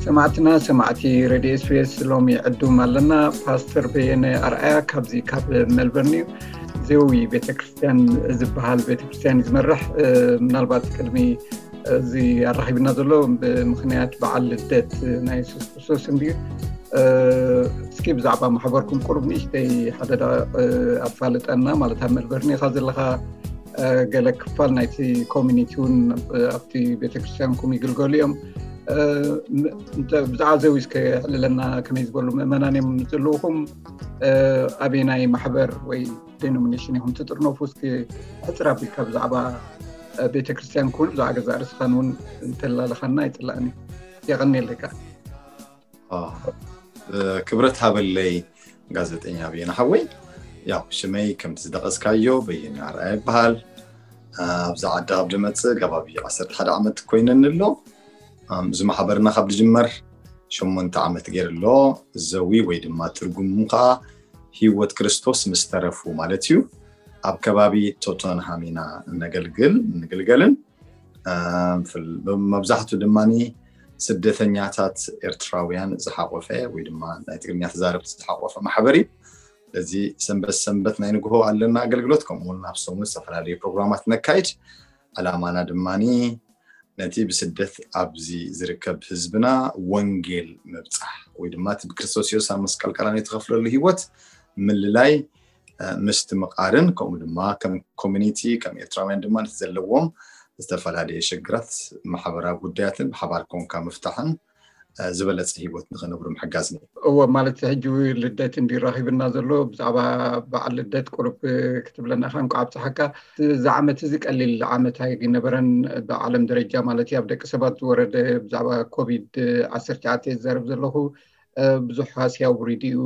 ሰማዕትና ሰማዕቲ ሬድዮ ኤስቢኤስ፣ ሎሚ ዕዱም ኣለና። ፓስተር በየነ ኣርኣያ ካብዚ ካብ ሜልበርን እዩ። ዘዊ ቤተክርስትያን ዝበሃል ቤተክርስትያን እዩ ዝመርሕ። ምናልባት ቅድሚ እዚ ኣራኺብና ዘሎ ብምኽንያት በዓል ልደት ናይ የሱስ ክርስቶስ እንድዩ። እስኪ ብዛዕባ ማሕበርኩም ቁሩብ ንእሽተይ ሓደ ደቂቕ ኣፋልጠና። ማለት ኣብ ሜልበርን ኢኻ ዘለኻ፣ ገለ ክፋል ናይቲ ኮሚኒቲ እውን ኣብቲ ቤተክርስትያንኩም ይግልገሉ እዮም። ብዛዕባ ዘዊ እስከ ሕልለና፣ ከመይ ዝበሉ ምእመናን እዮም ዘለውኹም? ኣበየናይ ማሕበር ወይ ዴኖሚኔሽን ኢኹም ትጥርነፉ? እስኪ ሕፅር ኣቢልካ ብዛዕባ ቤተክርስትያንኩም እውን ብዛዕባ ገዛእ ርእስኻን እውን እንተላለኻና ይፅላእኒ። የቐንየለካ። ክብረት ሃበለይ ጋዜጠኛ በየነ ሓወይ። ያው ሽመይ ከምቲ ዝደቐስካዮ በየነ ኣርኣያ ይበሃል። ኣብዚ ዓዲ ካብ ድመፅእ ከባቢ ዓሰርተ ሓደ ዓመት ኮይነኒ ኣሎ። እዚ ማሕበርና ካብ ዝጅመር ሸሞንተ ዓመት ገይሩ ኣሎ። ዘዊ ወይ ድማ ትርጉሙ ከዓ ህይወት ክርስቶስ ምስ ተረፉ ማለት እዩ። ኣብ ከባቢ ቶተንሃም ኢና እነገልግል እንግልገልን። መብዛሕቱ ድማ ስደተኛታት ኤርትራውያን ዝሓቆፈ ወይ ድማ ናይ ትግርኛ ተዛረብቲ ዝሓቆፈ ማሕበር እዩ። ስለዚ ሰንበት ሰንበት ናይ ንግሆ ኣለና ኣገልግሎት፣ ከምኡ እውን ኣብ ሰሙን ዝተፈላለዩ ፕሮግራማት ነካይድ። ዕላማና ድማ ነቲ ብስደት ኣብዚ ዝርከብ ህዝብና ወንጌል ምብፃሕ ወይ ድማ እቲ ብክርስቶስ የሱስ ኣብ መስቀል ቀራንዮ ዝተኸፍለሉ ህይወት ምልላይ፣ ምስትምቓርን ከምኡ ድማ ከም ኮሚኒቲ ከም ኤርትራውያን ድማ ነቲ ዘለዎም ዝተፈላለየ ሽግራት ማሕበራዊ ጉዳያትን ብሓባር ኮንካ ምፍታሕን ዝበለፀ ህይወት ንኽነብሩ ምሕጋዝን እዩ። እወ፣ ማለት ሕጂ ልደት እንዲ ራኺብና ዘሎ ብዛዕባ በዓል ልደት ቁሩብ ክትብለና ኢኻ። እንኳዕ ኣብፀሓካ። እዚ ዓመት እዚ ቀሊል ዓመት ኣይነበረን ብዓለም ደረጃ ማለት እዩ። ኣብ ደቂ ሰባት ዝወረደ ብዛዕባ ኮቪድ ዓሰርተ ትሽዓተ ዝዛረብ ዘለኹ ብዙሕ ሃስያ ውሪዱ እዩ።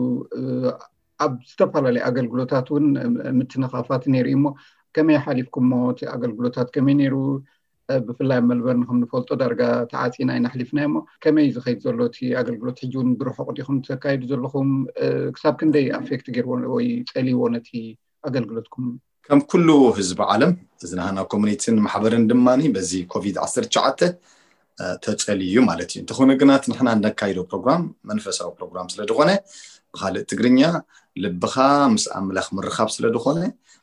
ኣብ ዝተፈላለዩ ኣገልግሎታት እውን ምትንኻፋት ነይሩ እዩ። እሞ ከመይ ሓሊፍኩሞ? እቲ ኣገልግሎታት ከመይ ነይሩ? ብፍላይ ኣብ መልበርን ከም ንፈልጦ ዳርጋ ተዓፂና ኢና ኣሕሊፍናዮ። እሞ ከመይ እዩ ዝኸይድ ዘሎ እቲ ኣገልግሎት? ሕጂ እውን ብርሑቕ ዲኹም ተካይዱ ዘለኹም? ክሳብ ክንደይ ኣፌክት ገይርዎ ወይ ፀልይዎ ነቲ ኣገልግሎትኩም? ከም ኩሉ ህዝቢ ዓለም እዚ ናህና ኮሚኒቲን ማሕበርን ድማ በዚ ኮቪድ ዓሰርተ ትሽዓተ ተጨልዩ ማለት እዩ። እንተኾነ ግና እቲ ንሕና እነካይዶ ፕሮግራም መንፈሳዊ ፕሮግራም ስለ ዝኾነ ብኻልእ ትግርኛ ልብኻ ምስ ኣምላኽ ምርኻብ ስለ ዝኾነ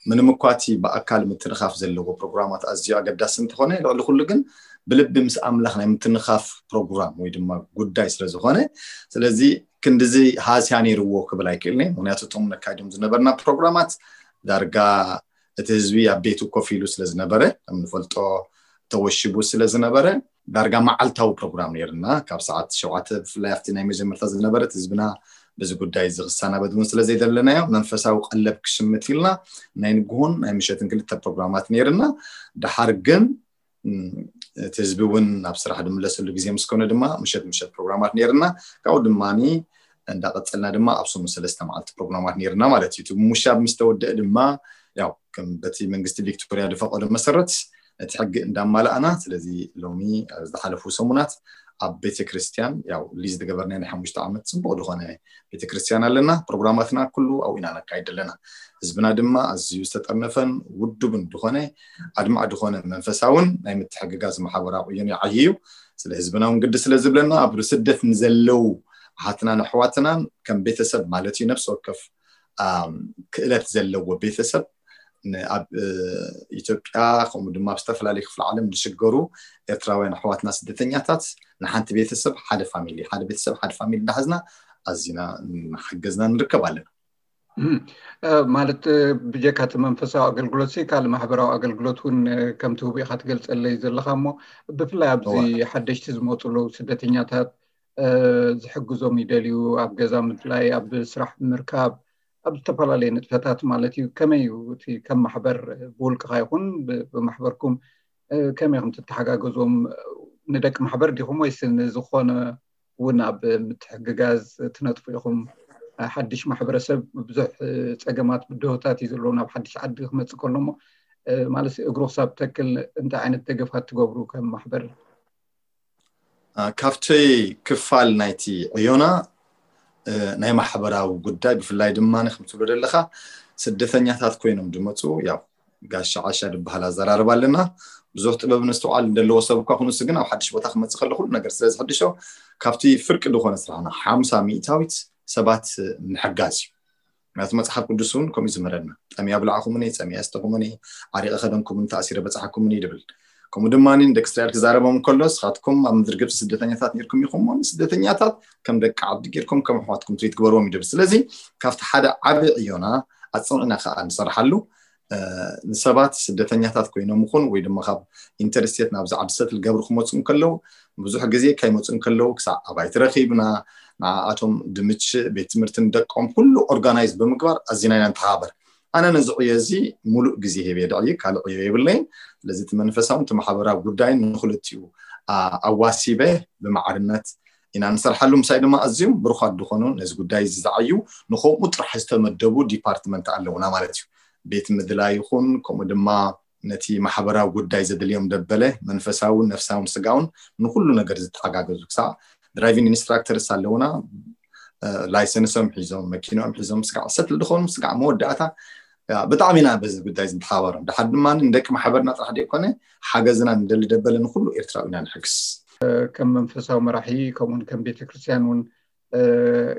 ምንም እኳ እቲ ብኣካል ምትንኻፍ ዘለዎ ፕሮግራማት ኣዝዩ ኣገዳሲ እንተኾነ ልዕሊ ኩሉ ግን ብልቢ ምስ ኣምላኽ ናይ ምትንኻፍ ፕሮግራም ወይ ድማ ጉዳይ ስለ ዝኾነ ስለዚ ክንድዚ ሃስያ ነይርዎ ክብል ኣይክእልኒ። ምክንያቱ እቶም ነካይዶም ዝነበርና ፕሮግራማት ዳርጋ እቲ ህዝቢ ኣብ ቤቱ ኮፍ ኢሉ ስለ ዝነበረ ከም ንፈልጦ ተወሽቡ ስለ ዝነበረ ዳርጋ መዓልታዊ ፕሮግራም ነይርና ካብ ሰዓት ሸውዓተ ብፍላይ ኣብቲ ናይ መጀመርታ ዝነበረት ህዝብና በዚ ጉዳይ እዚ ክሰናበድ እውን ስለ ዘይደለናዮ መንፈሳዊ ቀለብ ክሽምት ኢልና ናይ ንግሆን ናይ ምሸትን ክልተ ፕሮግራማት ነይርና። ድሓር ግን እቲ ህዝቢ እውን ናብ ስራሕ ዝምለሰሉ ግዜ ምስ ኮነ ድማ ምሸት ምሸት ፕሮግራማት ነይርና። ካብኡ ድማ እንዳቀፀልና ድማ ኣብ ሰሙን ሰለስተ መዓልቲ ፕሮግራማት ነይርና ማለት እዩ። እቲ ምውሻብ ምስ ተወደአ ድማ ያው ከም በቲ መንግስቲ ቪክቶሪያ ዝፈቀዶ መሰረት ነቲ ሕጊ እንዳማላእና ስለዚ ሎሚ ዝሓለፉ ሰሙናት ኣብ ቤተክርስትያን ያው ሊዝ ዝገበርና ናይ ሓሙሽተ ዓመት ፅቡቅ ዝኾነ ቤተክርስትያን ኣለና። ፕሮግራማትና ኩሉ ኣብኡ ኢና ነካይድ ኣለና። ህዝብና ድማ ኣዝዩ ዝተጠርነፈን ውዱብን ዝኾነ ኣድማዕ ዝኾነ መንፈሳውን ናይ ምትሕግጋዝ ማሕበራዊ ዕዮን ይዓይ እዩ። ስለ ህዝብና እውን ግዲ ስለ ዝብለና ኣብ ስደት ንዘለው ኣሓትናን ኣሕዋትናን ከም ቤተሰብ ማለት እዩ ነፍሲ ወከፍ ክእለት ዘለዎ ቤተሰብ ኣብ ኢትዮጵያ ከምኡ ድማ ኣብ ዝተፈላለዩ ክፍለ ዓለም ዝሽገሩ ኤርትራውያን ኣሕዋትና ስደተኛታት ንሓንቲ ቤተሰብ ሓደ ፋሚሊ ሓደ ቤተሰብ ሓደ ፋሚሊ እንዳሓዝና ኣዚና እናሓገዝና ንርከብ ኣለና። ማለት ብጀካ እቲ መንፈሳዊ ኣገልግሎት ሲ ካልእ ማሕበራዊ ኣገልግሎት እውን ከም ትህቡ ኢካ ትገልፀለይ ዘለካ እሞ ብፍላይ ኣብዚ ሓደሽቲ ዝመፁ ኣለዉ ስደተኛታት ዝሕግዞም ይደልዩ ኣብ ገዛ ምፍላይ ኣብ ስራሕ ምርካብ ኣብ ዝተፈላለየ ንጥፈታት ማለት እዩ። ከመይ እዩ እቲ ከም ማሕበር ብውልቅኻ ይኹን ብማሕበርኩም ከመይ ኢኹም ትተሓጋገዞም? ንደቂ ማሕበር ዲኹም ወይስ ንዝኾነ እውን ኣብ ምትሕግጋዝ ትነጥፉ ኢኹም? ሓድሽ ማሕበረሰብ ብዙሕ ፀገማት ብድሆታት እዩ ዘለዎ ናብ ሓድሽ ዓዲ ክመፅእ ከሎ እሞ ማለት እግሩ ክሳብ ተክል እንታይ ዓይነት ደገፋት ትገብሩ ከም ማሕበር? ካብቲ ክፋል ናይቲ ዕዮና ናይ ማሕበራዊ ጉዳይ ብፍላይ ድማ ከምትብሎ ዘለካ ስደተኛታት ኮይኖም ዝመፁ ያው ጋሻ ዓሻ ዝበሃል ኣዘራርባ ኣለና። ብዙሕ ጥበብ ነስተውዓል እንደለዎ ሰብ እኳ ኩኑስ ግን ኣብ ሓድሽ ቦታ ክመፅእ ከሎ ኩሉ ነገር ስለ ዝሕድሾ ካብቲ ፍርቂ ዝኾነ ስራሕና ሓምሳ ሚእታዊት ሰባት ምሕጋዝ እዩ። ምክንያቱ መፅሓፍ ቅዱስ እውን ከምኡ ዝምህረና፣ ጠምያ ብላዕኹምኒ፣ ፀሚያ ኣስተኹምኒ፣ ዓሪቐ ከደንኩምን ተኣሲረ በፅሓኩምኒ ይብል። ከምኡ ድማ ንደቂ እስራኤል ክዛረቦም ከሎ ንስኻትኩም ኣብ ምድሪ ግብፂ ስደተኛታት ነርኩም ኢኹም፣ ስደተኛታት ከም ደቂ ዓዲ ጌርኩም ከም ኣሕዋትኩም ትሪት ግበርዎም ይብል። ስለዚ ካብቲ ሓደ ዓቢ ዕዮና ኣፅንዕና ከዓ ንሰርሓሉ ንሰባት ስደተኛታት ኮይኖም ይኹን ወይ ድማ ካብ ኢንተርስቴት ናብዚ ዓዲ ሰትል ገብሩ ክመፁ እንከለዉ ብዙሕ ግዜ ከይመፁ እንከለዉ ክሳዕ ኣባይቲ ረኺብና ንኣቶም ድምች ቤት ትምህርትን ደቆም ኩሉ ኦርጋናይዝ ብምግባር ኣዚና ኢና ንተሓባበር። ኣነ ነዚ ዕዮ እዚ ሙሉእ ግዜ ሂበ ድዕይ ካልእ ዕዮ የብለይን። ስለዚ እቲ መንፈሳውን እቲ ማሕበራዊ ጉዳይን ንክልቲኡ ኣዋሲበ ብማዕርነት ኢና ንሰርሓሉ። ምሳይ ድማ ኣዝዮም ብሩኻት ዝኾኑ ነዚ ጉዳይ እዚ ዝዓዩ ንከምኡ ጥራሕ ዝተመደቡ ዲፓርትመንት ኣለውና ማለት እዩ። ቤት ምድላይ ይኹን ከምኡ ድማ ነቲ ማሕበራዊ ጉዳይ ዘድልዮም ደበለ መንፈሳውን ነፍሳውን ስጋውን ንኩሉ ነገር ዝተሓጋገዙ ክሳዕ ድራይቪንግ ኢንስትራክተርስ ኣለውና። ላይሰንሶም ሒዞም መኪኖም ሒዞም ስጋዕ ሰትል ዝኾኑ ስጋዕ መወዳእታ ብጣዕሚ ኢና በዚ ጉዳይ ዝንተሓባበሮም። ድሓር ድማ ንደቂ ማሕበርና ጥራሕ ዘይኮነ ሓገዝና ንደሊ ደበለ ንኩሉ ኤርትራዊ ኢና ንሕግስ። ከም መንፈሳዊ መራሒ ከምኡውን ከም ቤተክርስትያን እውን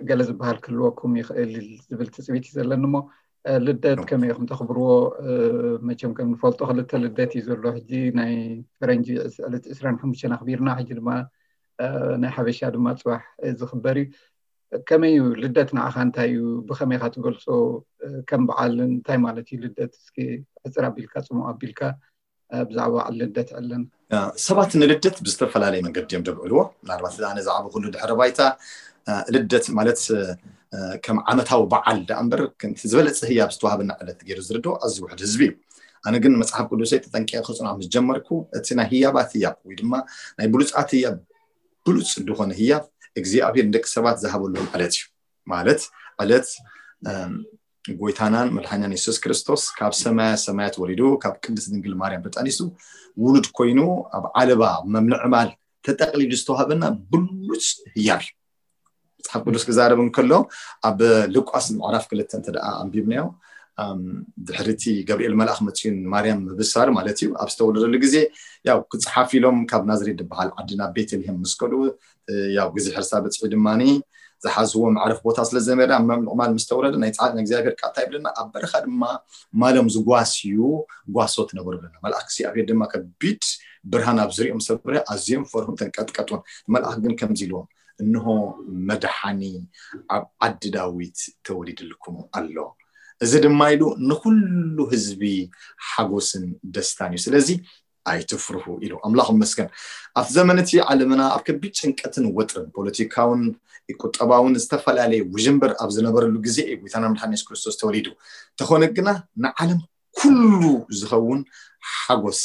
ገለ ዝበሃል ክህልወኩም ይኽእል ዝብል ትፅቢት እዩ ዘለኒ። እሞ ልደት ከመይ ኢኹም ተኽብርዎ? መቸም ከም ንፈልጦ ክልተ ልደት እዩ ዘሎ። ሕጂ ናይ ፈረንጂ ዕለት ዕስራን ሓሙሽተን ኣኽቢርና፣ ሕጂ ድማ ናይ ሓበሻ ድማ ፅባሕ ዝኽበር እዩ። ከመይ እዩ ልደት ንዓኻ? እንታይ እዩ? ብኸመይ ኢኻ ትገልፆ? ከም በዓል እንታይ ማለት እዩ ልደት? እስኪ ሕፅር ኣቢልካ ፅሙቕ ኣቢልካ ብዛዕባ በዓል ልደት ዕለን። ሰባት ንልደት ብዝተፈላለየ መንገዲ እዮም ደብዕልዎ። ምናልባት ኣነ ዝዓበኹሉ ድሕረ ባይታ ልደት ማለት ከም ዓመታዊ በዓል ደኣ እምበር ከምቲ ዝበለፀ ህያብ ዝተዋህበና ዕለት ገይሩ ዝርድኦ ኣዝዩ ውሕድ ህዝቢ እዩ። ኣነ ግን መፅሓፍ ቅዱሰይ ተጠንቂቐ ክፅንዖ ምስ ጀመርኩ እቲ ናይ ህያባት ህያብ ወይ ድማ ናይ ብሉፃት ህያብ ብሉፅ ዝኾነ ህያብ እግዚኣብሔር ንደቂ ሰባት ዝሃበሎም ዕለት እዩ። ማለት ዕለት ጎይታናን መድሓኛን የሱስ ክርስቶስ ካብ ሰማያ ሰማያት ወሪዱ ካብ ቅድስት ድንግል ማርያም ተጠኒሱ ውሉድ ኮይኑ ኣብ ዓለባ መምልዕማል ተጠቕሊሉ ዝተዋህበና ብሉፅ ህያብ እዩ። መፅሓፍ ቅዱስ ክዛረብ እንከሎ ኣብ ሉቃስ ምዕራፍ ክልተ እንተ ደኣ ኣንቢብናዮ ድሕሪቲ ገብርኤል መልኣኽ መፅኡ ንማርያም ምብሳር ማለት እዩ። ኣብ ዝተወለደሉ ግዜ ያው ክፅሓፍ ኢሎም ካብ ናዝሬት ዝበሃል ዓዲ ናብ ቤተልሔም ምስ ከዱ ያው ግዜ ሕርሳ በፂሑ ድማ ዝሓዝዎ መዕረፍ ቦታ ስለ ዘመዳ ኣብ ምዕማል ምስ ተወረደ ናይ ፃዕድ እግዚኣብሔር ቃል ይብለና ኣብ በረኻ ድማ ማሎም ዝጓስዩ ጓሶት ነበሩ ብለና። መልኣክ እግዚኣብሔር ድማ ከቢድ ብርሃን ኣብ ዝሪኦም ሰብረ ኣዝዮም ፈርሁን ተንቀጥቀጡን። መልኣክ ግን ከምዚ ኢልዎም እንሆ መድሓኒ ኣብ ዓዲ ዳዊት ተወሊድልኩም ኣሎ። እዚ ድማ ኢሉ ንኩሉ ህዝቢ ሓጎስን ደስታን እዩ። ስለዚ ኣይትፍርሁ ኢሉ ኣምላኽ ይመስገን። ኣብቲ ዘመን እቲ ዓለምና ኣብ ከቢድ ጭንቀትን ወጥርን ፖለቲካውን ቁጠባውን ዝተፈላለየ ውዥንብር ኣብ ዝነበረሉ ግዜ እዩ ጎይታና መድሓኒ የሱስ ክርስቶስ ተወሊዱ። ተኾነ ግና ንዓለም ኩሉ ዝኸውን ሓጎስ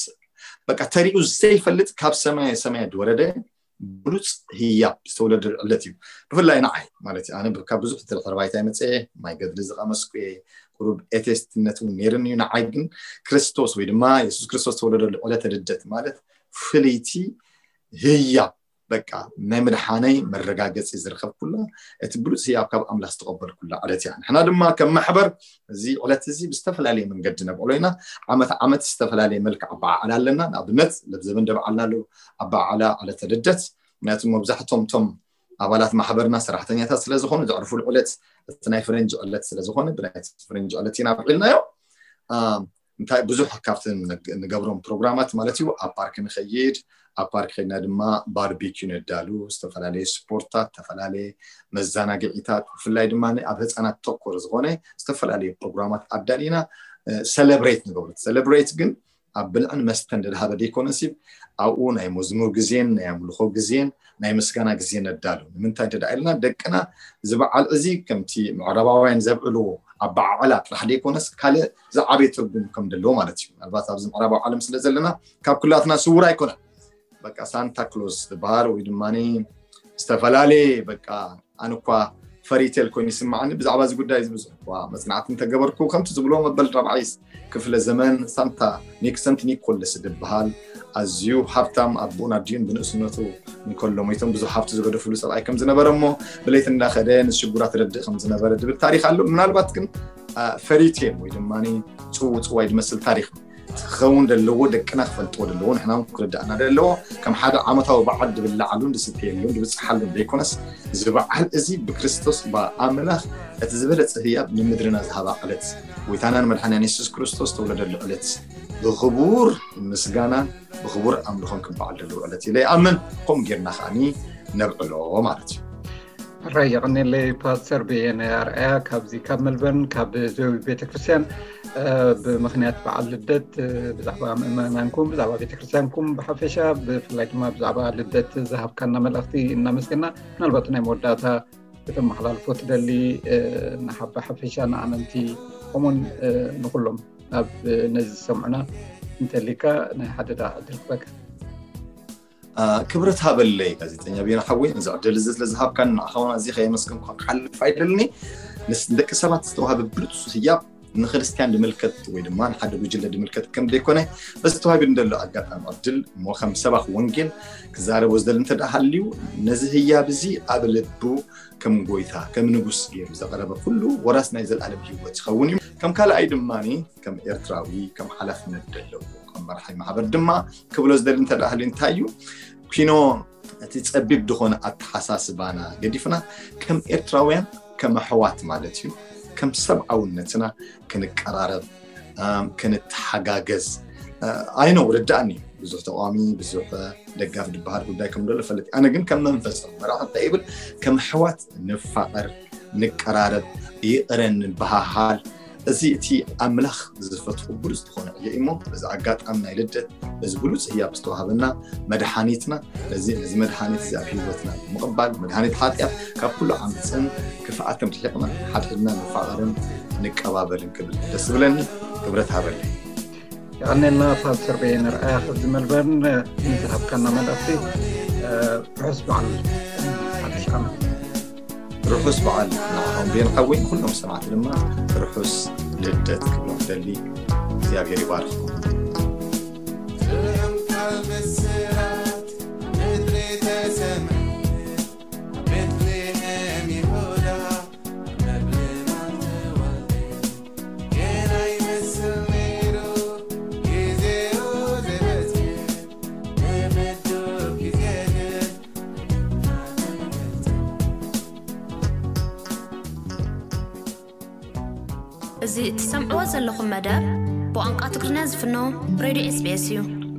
በቃ ተሪኡ ዘይፈልጥ ካብ ሰማየ ሰማያት ዝወረደ ብሉፅ ህያብ ዝተወለደ ዕለት እዩ። ብፍላይ ንዓይ ማለት እዩ ኣነ ካብ ብዙሕ ድሕረ ባይታ ይመፀ ማይ ገድሊ ዝቐመስኩ እየ። ቁሩብ ኤቴስትነት እውን ነይርኒ እዩ። ንዓይ ግን ክርስቶስ ወይ ድማ የሱስ ክርስቶስ ዝተወለደሉ ዕለተ ልደት ማለት ፍልይቲ ህያብ በቃ ናይ ምድሓነይ መረጋገፂ ዝረኸብኩላ እቲ ብሉፅ ህያብ ካብ ኣምላኽ ዝተቐበልኩላ ዕለት እያ። ንሕና ድማ ከም ማሕበር እዚ ዕለት እዚ ብዝተፈላለየ መንገዲ ነብዕሎ ኢና። ዓመት ዓመት ዝተፈላለየ መልክዕ ኣበዓዕላ ኣለና። ንኣብነት ለብዘበን ደብዓልና ኣለዉ ኣበዓዕላ ዕለተ ልደት ምክንያቱ መብዛሕቶም ቶም ኣባላት ማሕበርና ሰራሕተኛታት ስለ ዝኾኑ ዘዕርፉሉ ዕለት እቲ ናይ ፈረንጂ ዕለት ስለ ዝኾነ ብናይ ፈረንጂ ዕለት ኢና ኣብዒልናዮ። እንታይ ብዙሕ ካብቲ ንገብሮም ፕሮግራማት ማለት እዩ ኣብ ፓርክ ንኸይድ ኣብ ፓርክ ከድና ድማ ባርቢኪ ነዳሉ ዝተፈላለየ ስፖርታት ዝተፈላለየ መዘናግዒታት ብፍላይ ድማ ኣብ ህፃናት ተኮር ዝኾነ ዝተፈላለየ ፕሮግራማት ኣዳሊና ሰለብሬት ንገብሩ። ሰለብሬት ግን ኣብ ብልዕን መስተን ደድሃበ ደይኮነሲ ኣብኡ ናይ መዝሙር ግዜን ናይ ኣምልኾ ግዜን ናይ ምስጋና ግዜ ነዳሉ። ንምንታይ እንተ ኢልና ደቅና እዚ በዓል እዚ ከምቲ ምዕራባውያን ዘብዕልዎ ኣበዓዕላ ጥራሕ ደይኮነስ ካልእ ዝዓበየ ትርጉም ከም ዘለዎ ማለት እዩ። ምናልባት ኣብዚ ምዕራባዊ ዓለም ስለ ዘለና ካብ ኩላትና ስውር ኣይኮነን። በቃ ሳንታ ክሎዝ ዝበሃል ወይ ድማ ዝተፈላለየ በቃ ኣነ እኳ ፈሪቴል ኮይኑ ይስማዓኒ። ብዛዕባ እዚ ጉዳይ እዚ ብዙሕ እኳ መጽናዕቲ እንተገበርኩ፣ ከምቲ ዝብሎ መበል ራብዓይ ክፍለ ዘመን ሳንታ ኒክ ሰንት ኒኮለስ ዝበሃል ኣዝዩ ሃብታም ኣቦን ኣዲኡን ብንእስነቱ እንከሎ ሞይቶም ብዙሕ ሃብቲ ዝገደፍሉ ሰብኣይ ከም ዝነበረ እሞ ብለይቲ እንዳኸደ ንሽጉራት ረድእ ከም ዝነበረ ዝብል ታሪኽ ኣሎ። ምናልባት ግን ፈሪቴል ወይ ድማ ጽውጽዋይ ዝመስል ታሪኽ ክኸውን ዘለዎ ደቅና ክፈልጥዎ ዘለዎ ንሕና እውን ክርዳእና ዘለዎ ከም ሓደ ዓመታዊ በዓል ድብላዓሉን ድስተየሉን ድብፅሓሉን ዘይኮነስ እዚ በዓል እዚ ብክርስቶስ ብኣምላኽ እቲ ዝበለፀ ህያብ ንምድርና ዝሃባ ዕለት ጎይታናን መድሓንያን የሱስ ክርስቶስ ተወለደሉ ዕለት ብክቡር ምስጋናን ብክቡር ኣምልኾን ክበዓል ዘለዎ ዕለት ኢለ ይኣምን። ከምኡ ጌርና ከዓኒ ነብዕሎ ማለት እዩ። ሕራይ የቐኔለይ ፓስተር ብየነ ኣርኣያ ካብዚ ካብ መልበርን ካብ ዘዊ ቤተክርስትያን ብምክንያት በዓል ልደት ብዛዕባ ምእመናንኩም ብዛዕባ ቤተክርስትያንኩም ብሓፈሻ ብፍላይ ድማ ብዛዕባ ልደት ዝሃብካና መልእኽቲ እናመስገና ምናልባት ናይ መወዳእታ ከተመሓላልፎ ትደሊ ንሓባ ሓፈሻ ንኣመንቲ ከምኡን ንኩሎም ኣብ ነዚ ዝሰምዑና እንተሊካ ናይ ሓደ ደኣ ዕድል ክበካ ክብረት ሃበለይ ጋዜጠኛ ቤና ሓወይ ነዚ ዕድል እዚ ስለ ዝሃብካን ንዓኻ እውን ኣዝየ ከየመስገንኩ ክሓልፍ ኣይደልኒ። ንደቂ ሰባት ዝተዋህበ ብሉፅ ህያብ ንክርስትያን ዝምልከት ወይ ድማ ንሓደ ጉጅለ ዝምልከት ከም ዘይኮነ በዚ ተዋሂቡ ንደሎ ኣጋጣሚ ዕድል እሞ ከም ሰባኽ ወንጌል ክዛረቦ ዝደሊ እንተ ደኣ ሃልዩ ነዚ ህያብ እዚ ኣብ ልቡ ከም ጎይታ ከም ንጉስ ገይሩ ዘቕረበ ኩሉ ወራስ ናይ ዘለኣለም ህይወት ይኸውን እዩ። ከም ካልኣይ ድማ ከም ኤርትራዊ ከም ሓላፍነት ዘለዎ ከም መራሒ ማሕበር ድማ ክብሎ ዝደሊ እንተ ደኣ ሃልዩ እንታይ እዩ ፒኖ እቲ ጸቢብ ዝኾነ ኣተሓሳስባና ገዲፍና ከም ኤርትራውያን ከም ኣሕዋት ማለት እዩ ከም ሰብኣውነትና ክንቀራረብ ክንተሓጋገዝ ኣይነው ርዳእኒ ብዙሕ ተቃዋሚ ብዙሕ ደጋፍ ዝበሃል ጉዳይ ከም ዘሎ ፈለጥ ኣነ ግን ከም መንፈስ መራሒ እንታይ ይብል ከም ኣሕዋት ንፋቐር ንቀራረብ ይቕረ ንበሃሃል እዚ እቲ ኣምላኽ ዝፈትሑ ብሉፅ ዝኾነ ዕዮ እሞ በዚ ኣጋጣሚ ናይ ልደት በዚ ብሉፅ ህያብ ዝተዋሃበና መድሓኒትና ነዚ ነዚ መድሓኒት እዚ ኣብ ህይወትና ብምቕባል መድሃኒት ሓጢኣት ካብ ኩሉ ዓመፅን ክፍኣትን ርሒቕና ሓድሕድና ንፋቐርን ንቀባበልን ክብል ደስ ዝብለኒ ክብረት ሃበለይ። የቐኔልና ፓስተር በየነ ርኣያ ከዚ መልበርን ንዝሃብካና መልእኽቲ ርሑስ በዓል ሓድሽ ዓመት። ርሑስ በዓል ንዓኹም ቤን ሓወይ ኩሎም ሰማዕቲ ድማ ርሑስ ልደት ክብሎም ደሊ እግዚኣብሔር ይባርኽኩም። እዚ ትሰምዕዎ ዘለኹም መደብ ብቋንቋ ትግርኛ ዝፍኖ ሬድዮ ኤስቢኤስ እዩ።